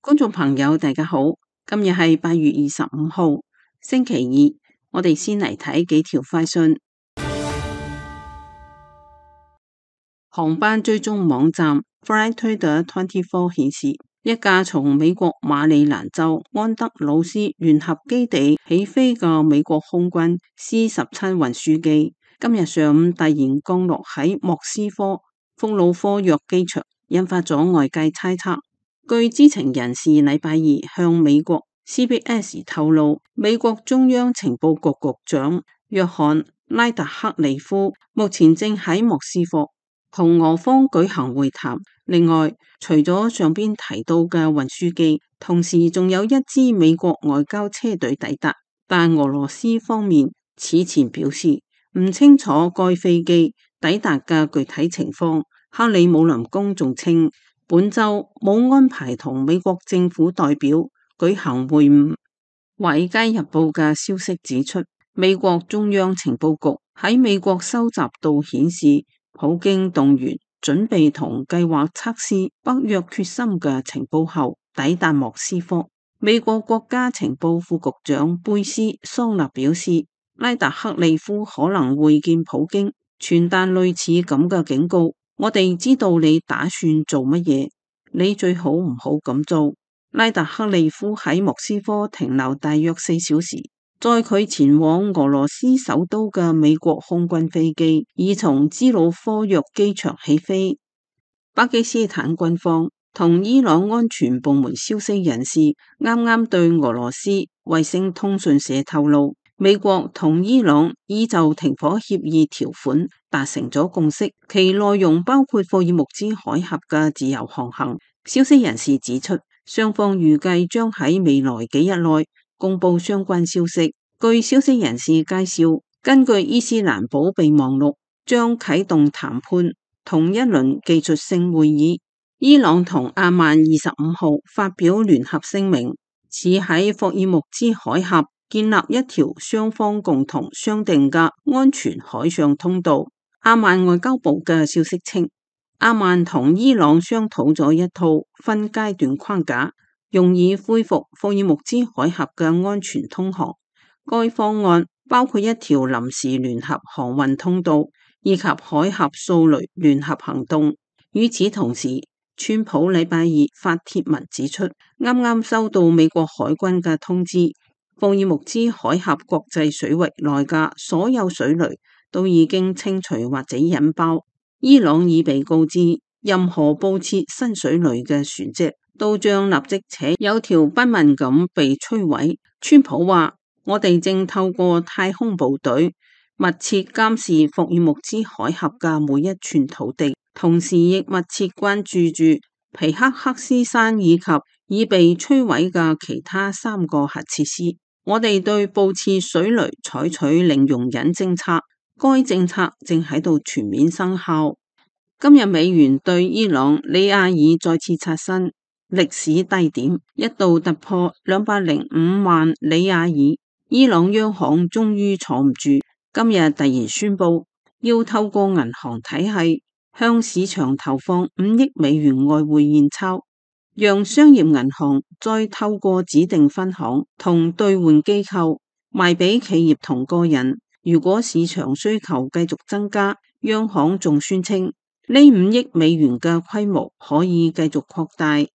觀眾朋友大家好，今日係8月25號星期二，我哋先嚟睇幾條快訊。航班追蹤網站 Flightradar24 顯示，一架從美國馬里蘭州安德魯斯聯合基地起飛嘅美國空軍 C-17 運輸機，今日上午突然降落喺莫斯科福魯科約機場，引發咗外界猜測。據知情人士禮拜二向美國 CBS 透露，美國中央情報局局長約翰拉特克利夫目前正喺莫斯科同俄方舉行會談。另外，除咗上邊提到嘅運輸機，同時仲有一支美國外交車隊抵達，但俄羅斯方面此前表示唔清楚該飛機抵達嘅具體情況。克里姆林宮仲稱，本周冇安排同美國政府代表舉行會晤。華爾街日報嘅消息指出，美國中央情報局喺美國收集到顯示普京動員準備同計劃測試北約決心嘅情報後抵達莫斯科。美國國家情報副局長貝斯桑納表示，拉特克利夫可能會見普京，傳達類似咁嘅警告。我哋知道你打算做乜嘢，你最好唔好咁做。拉特克利夫喺莫斯科停留大約4小時，載佢前往俄羅斯首都嘅美國空軍飛機已從茲魯科約機場起飛。巴基斯坦軍方同伊朗安全部門消息人士啱啱對俄羅斯衛星通訊社透露，美國同伊朗已就停火協議條款達成咗共識，其內容包括霍爾木茲海峽嘅自由航行。消息人士指出，雙方預計將喺未來幾日內公布相關消息。據消息人士介紹，根據伊斯蘭堡備忘錄，將啟動談判同一輪技術性會議。伊朗同阿曼25號發表聯合聲明，指喺霍爾木茲海峽建立一條雙方共同商定嘅安全海上通道。阿曼外交部嘅消息稱，阿曼同伊朗商討咗一套分階段框架，用以恢復霍爾木茲海峽嘅安全通航。該方案包括一條臨時聯合航運通道，以及海峽掃雷聯合行動。與此同時，川普禮拜二發帖文指出，啱啱收到美國海軍嘅通知，霍爾木茲海峽國際水域內嘅所有水雷都已經清除或者引爆。伊朗已被告知，任何布設新水雷嘅船隻都將立即且有條不紊咁被摧毀。川普話，我哋正透過太空部隊密切監視霍爾木茲海峽嘅每一寸土地，同時亦密切關注住皮克克斯山以及已被摧毀嘅其他3個核設施。我哋對布設水雷採取零容忍政策，該政策正喺度全面生效。今日美元對伊朗里亞爾再次刷新歷史低點，一度突破205萬里亞爾。伊朗央行終於坐唔住，今日突然宣布要透過銀行體系向市場投放5億美元外匯現鈔，讓商業銀行再透過指定分行同兌換機構賣俾企業同個人。如果市場需求繼續增加，央行仲宣稱呢5億美元嘅規模可以繼續擴大。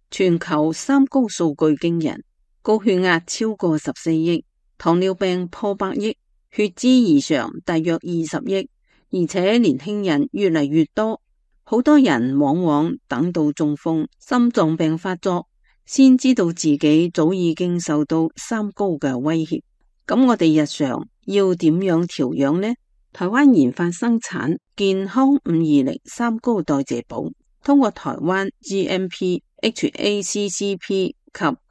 全球3高數據驚人，高血壓超過14億，糖尿病破100億，血脂異常大約20億，而且年輕人越嚟越多。好多人往往等到中風、心臟病發作，先知道自己早已經受到3高嘅威脅。咁我哋日常要點樣調養呢？台灣研發生產健康520 3高代謝寶，通過台灣 GMP、HACCP 及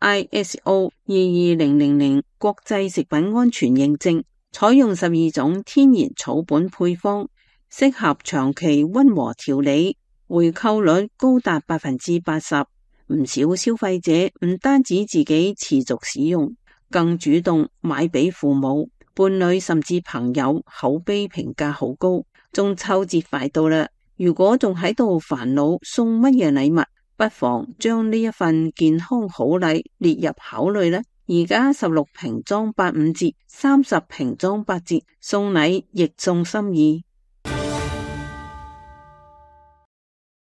ISO 22000國際食品安全認證，採用12種天然草本配方，適合長期溫和調理，回購率高達 80%。唔少消費者唔單止自己持續使用，更主動買俾父母、伴侶甚至朋友，口碑評價好高。中秋節快到啦，如果仲喺度煩惱送乜嘢禮物，不妨將呢一份健康好禮列入考慮啦。而家16瓶裝85折，30瓶裝8折，送禮亦送心意。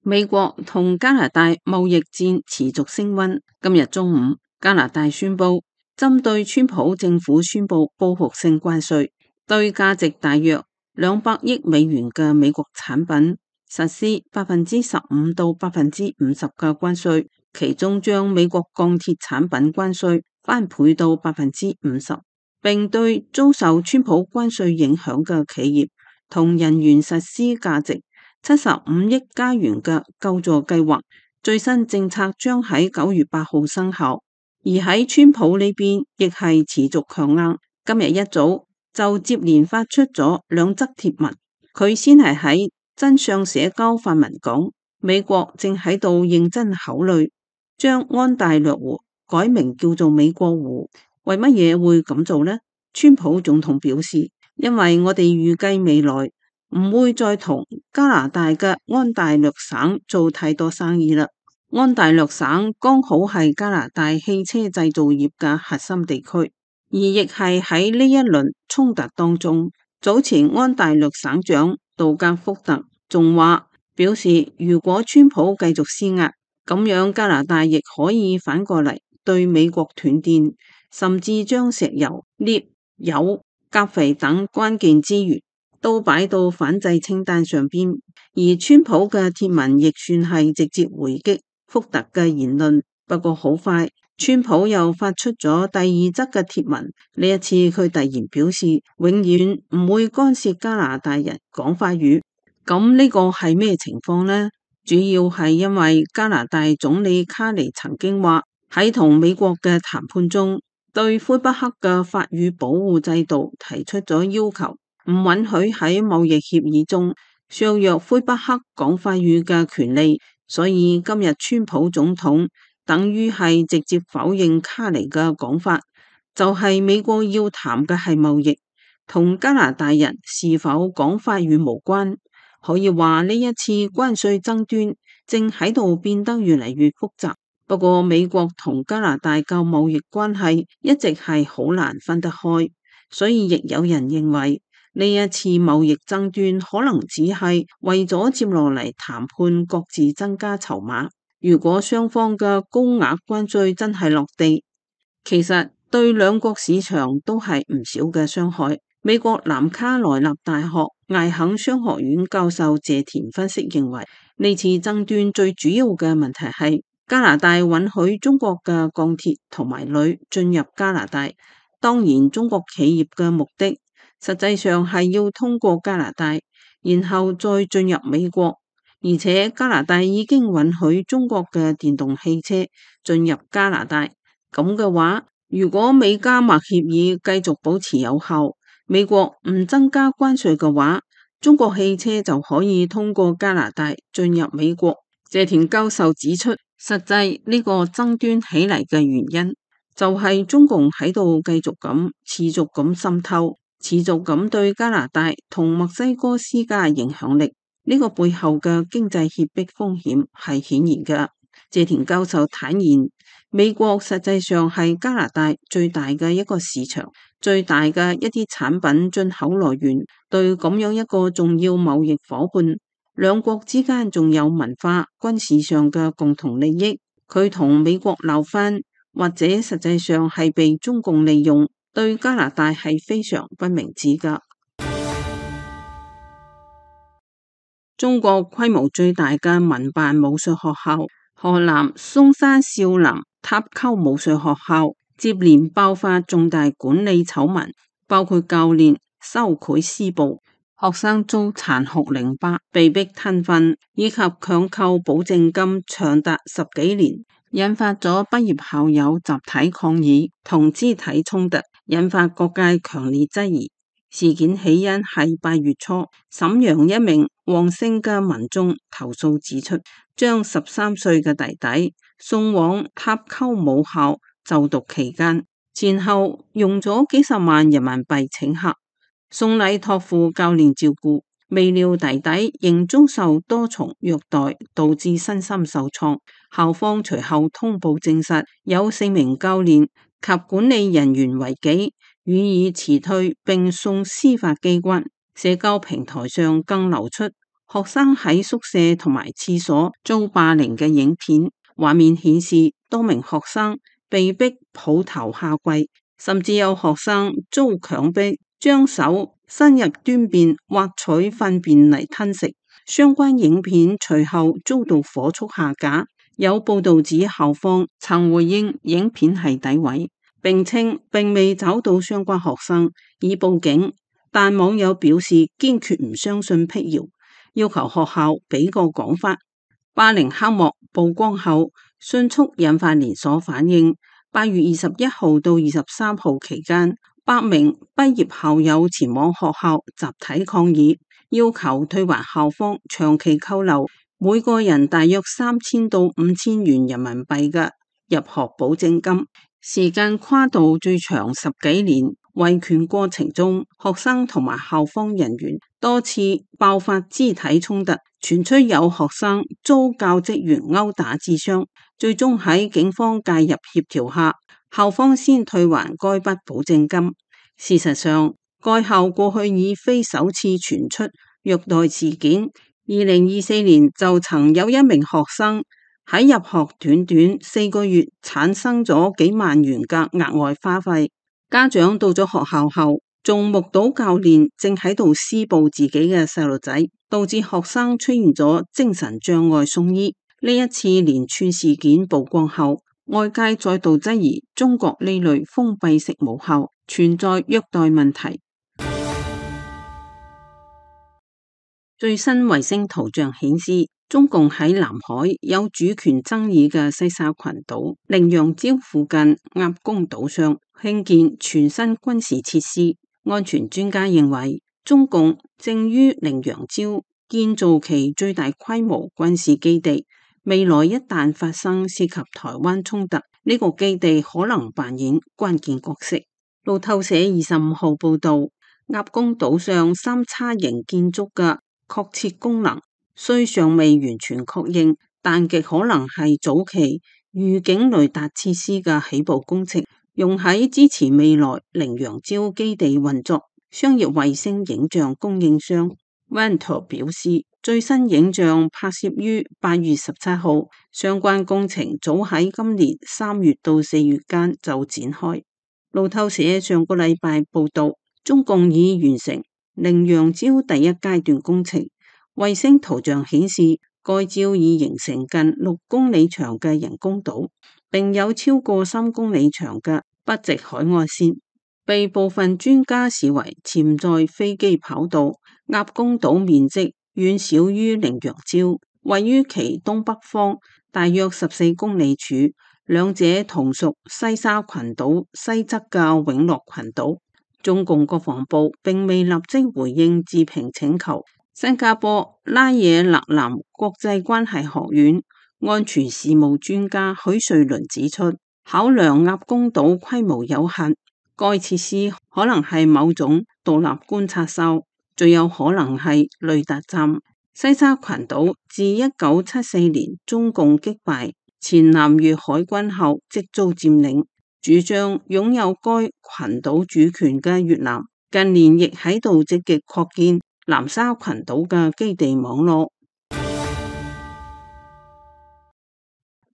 美國同加拿大貿易戰持續升溫。今日中午，加拿大宣布針對川普政府宣布報復性關稅，對價值大約200億美元嘅美國產品實施15%到50%嘅關稅，其中將美國鋼鐵產品關稅翻倍到50%，並對遭受川普關稅影響嘅企業同人員實施價值75億加元嘅救助計劃。最新政策將喺9月8號生效。而喺川普呢邊亦係持續強硬，今日一早就接連發出咗2則貼文。佢先係喺真相社交發文講，美國正喺度認真考慮將安大略湖改名叫做美國湖。為乜嘢會咁做呢？川普總統表示，因為我哋預計未來唔會再同加拿大嘅安大略省做太多生意啦。安大略省剛好係加拿大汽車製造業嘅核心地區，而亦係喺呢一輪衝突當中，早前安大略省長杜格福特仲話表示，如果川普繼續施壓，咁樣加拿大亦可以反過嚟對美國斷電，甚至將石油、鎳、鈾、鉀肥等關鍵資源都擺到反制清單上邊。而川普嘅貼文亦算係直接回擊福特嘅言論。不過好快，川普又發出咗第2則嘅貼文。呢一次佢突然表示永遠唔會干涉加拿大人講法語。咁呢個係咩情況呢？主要係因為加拿大總理卡尼曾經話喺同美國嘅談判中，對魁北克嘅法語保護制度提出咗要求，唔允許喺貿易協議中削弱魁北克講法語嘅權利。所以今日川普總統等於係直接否認卡尼嘅講法，就係美國要談嘅係貿易，同加拿大人是否講法語無關。可以話呢一次關稅爭端正喺度變得越嚟越複雜。不過美國同加拿大嘅貿易關係一直係好難分得開，所以亦有人認為呢一次貿易爭端可能只係為咗接落嚟談判各自增加籌碼。如果雙方嘅高額關稅真係落地，其實對兩國市場都係唔少嘅傷害。美國南卡羅來納大學艾肯商學院教授謝田分析認為，呢次爭端最主要嘅問題係加拿大允許中國嘅鋼鐵同埋鋁進入加拿大。當然中國企業嘅目的實際上係要通過加拿大，然後再進入美國。而且加拿大已經允許中國嘅電動汽車進入加拿大。咁嘅話，如果美加貿協議繼續保持有效，美國唔增加關稅嘅話，中國汽車就可以通過加拿大進入美國。謝田教授指出，實際呢個爭端起嚟嘅原因就係中共喺度繼續咁持續咁滲透，持續咁對加拿大同墨西哥施加影響力。呢個背後嘅經濟脅迫風險係顯然嘅。謝田教授坦言，美國實際上係加拿大最大嘅一個市場，最大嘅一啲產品進口來源。對咁樣一個重要貿易夥伴，兩國之間仲有文化、軍事上嘅共同利益。佢同美國鬧翻，或者實際上係被中共利用，對加拿大係非常不明智㗎。中國規模最大嘅民辦武術學校河南嵩山少林塔溝武術學校接連爆發重大管理醜聞，包括教練收賄施暴、學生遭殘酷凌霸、被逼吞糞，以及強扣保證金長達10幾年，引發咗畢業校友集體抗議同肢體衝突，引發各界強烈質疑。事件起因係8月初，瀋陽一名黃姓嘅民眾投訴指出，將13歲嘅弟弟送往塔溝武校就讀期間，前後用咗幾十萬人民幣請客、送禮託付教練照顧，未料弟弟仍遭受多重虐待，導致身心受創。校方隨後通報證實有4名教練及管理人員違紀，予以辭退並送司法機關。社交平台上更流出學生喺宿舍同埋廁所遭霸凌嘅影片，畫面顯示多名學生被逼抱頭下跪，甚至有學生遭強迫將手伸入端便挖取糞便嚟吞食。相關影片隨後遭到火速下架。有報道指校方曾回應影片係詆毀，並稱並未找到相關學生已報警，但網友表示堅決唔相信闢謠，要求學校俾個講法。霸凌黑幕曝光後，迅速引發連鎖反應。8月21號到23號期間，8名畢業校友前往學校集體抗議，要求退還校方長期扣留每個人大約3000到5000元人民幣嘅入學保證金，時間跨度最長10幾年。維權過程中，學生同埋校方人員多次爆發肢體衝突，傳出有學生遭教職員毆打致傷，最終喺警方介入協調下，校方先退還該筆保證金。事實上，該校過去已非首次傳出虐待事件。2024年就曾有1名學生喺入學短短4個月產生咗幾萬元嘅額外花費。家長到咗學校後，仲目睹教練正喺度施暴自己嘅細路仔，導致學生出現咗精神障礙送醫。呢一次連串事件曝光後，外界再度質疑中國呢類封閉式母校存在虐待問題。最新衛星圖像顯示，中共喺南海有主權爭議嘅西沙群島羚羊礁附近鴨公島上興建全新軍事設施。安全專家認為，中共正於羚羊礁建造其最大規模軍事基地，未來一旦發生涉及台灣衝突，呢個基地可能扮演關鍵角色。路透社25號報道，鴨公島上3叉型建築嘅確切功能雖尚未完全確認，但極可能係早期預警雷達設施嘅起步工程，用喺支持未來羚羊礁基地運作。商業衛星影像供應商 Vantor 表示，最新影像拍攝於8月17號，相關工程早喺今年3月到4月間就展開。路透社上個禮拜報道，中共已完成羚羊礁第一階段工程。衛星圖像顯示，該礁已形成近6公里長嘅人工島，並有超過3公里長嘅筆直海岸線，被部分專家視為潛在飛機跑道。鴨公島面積遠小於羚羊礁，位於其東北方大約14公里處，兩者同屬西沙群島西側嘅永樂群島。中共國防部並未立即回應置評請求。新加坡拉惹勒南國際關係學院安全事務專家許瑞麟指出，考量鴨公島規模有限，該設施可能係某種獨立觀察哨，最有可能係雷達站。西沙群島自1974年中共擊敗前南越海軍後即遭佔領，主張擁有該群島主權嘅越南近年亦喺度積極擴建南沙群島嘅基地網絡。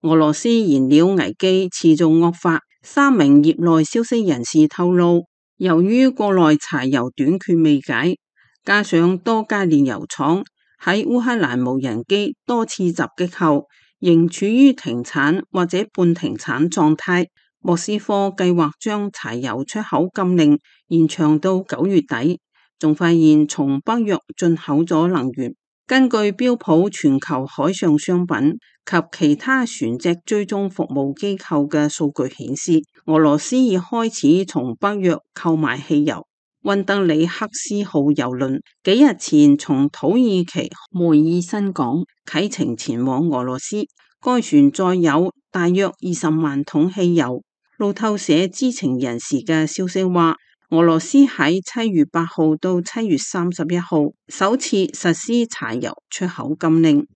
俄羅斯燃料危機持續惡化，3名業內消息人士透露，由於國內柴油短缺未解，加上多家煉油廠喺烏克蘭無人機多次襲擊後，仍處於停產或者半停產狀態。莫斯科計劃將柴油出口禁令延長到9月底。仲發現從北約進口咗能源。根據標普全球海上商品及其他船隻追蹤服務機構嘅數據顯示，俄羅斯已開始從北約購買汽油。溫德里克斯號郵輪幾日前從土耳其梅爾辛港啟程前往俄羅斯，該船載有大約20萬桶汽油。路透社知情人士嘅消息話，俄羅斯喺7月8號到7月31號首次實施柴油出口禁令，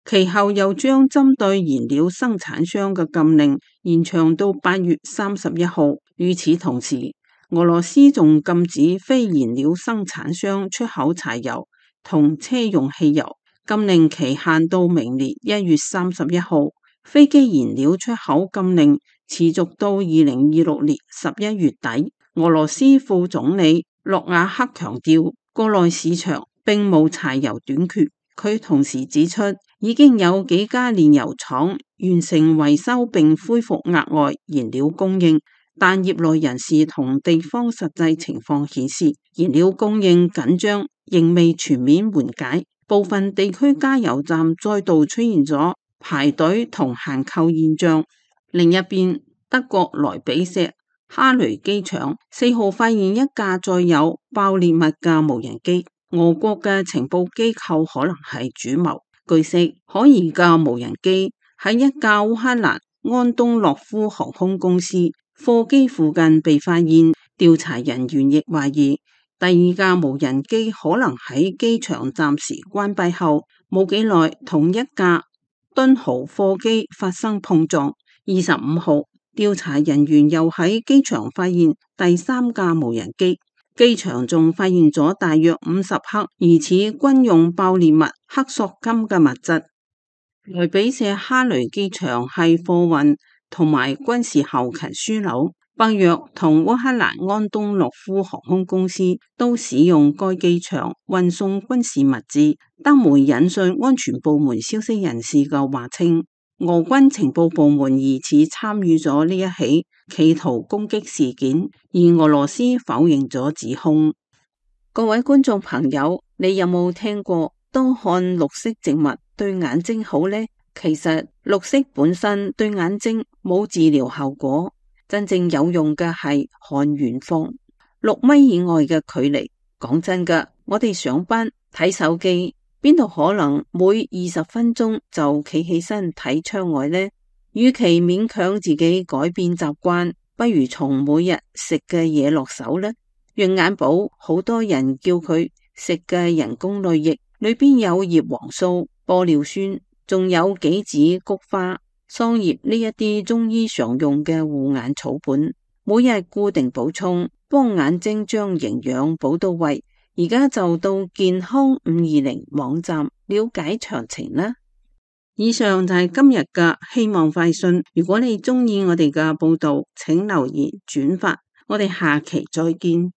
其後又將針對燃料生產商嘅禁令延長到8月31號。與此同時，俄羅斯仲禁止非燃料生產商出口柴油同車用汽油，禁令期限到明年1月31號。飛機燃料出口禁令持續到2026年11月底。俄羅斯副總理諾瓦克強調，國內市場並無柴油短缺。佢同時指出，已經有幾家煉油廠完成維修並恢復額外燃料供應，但業內人士同地方實際情況顯示，燃料供應緊張仍未全面緩解，部分地區加油站再度出現咗排隊同限購現象。另一邊，德國萊比錫哈雷機場4號發現一架載有爆裂物嘅無人機，俄國嘅情報機構可能係主謀。據悉，可疑嘅無人機喺一架烏克蘭安東諾夫航空公司貨機附近被發現，調查人員亦懷疑第二架無人機可能喺機場暫時關閉後冇幾耐同一架敦豪貨機發生碰撞。25號，調查人員又喺機場發現第三架無人機，機場仲發現咗大約50克疑似軍用爆裂物黑索金嘅物質。萊比錫哈雷機場係貨運同埋軍事後勤樞紐，北約同烏克蘭安東諾夫航空公司都使用該機場運送軍事物資。德媒引述安全部門消息人士嘅話稱，俄軍情報部門疑似參與咗呢一起企圖攻擊事件，而俄羅斯否認咗指控。各位觀眾朋友，你有冇聽過多看綠色植物對眼睛好呢？其實綠色本身對眼睛冇治療效果，真正有用嘅係看遠方6米以外嘅距離。講真㗎，我哋上班睇手機，邊度可能每20分鐘就企起身睇窗外呢？與其勉強自己改變習慣，不如從每日食嘅嘢落手呢。養眼寶好多人叫佢食嘅人工淚液，裏邊有葉黃素、玻尿酸，仲有杞子、菊花、桑葉呢一啲中醫常用嘅護眼草本，每日固定補充，幫眼睛將營養補到位。而家就到健康520網站了解詳情啦。以上就係今日嘅希望快訊。如果你鍾意我哋嘅報道，請留言轉發。我哋下期再見。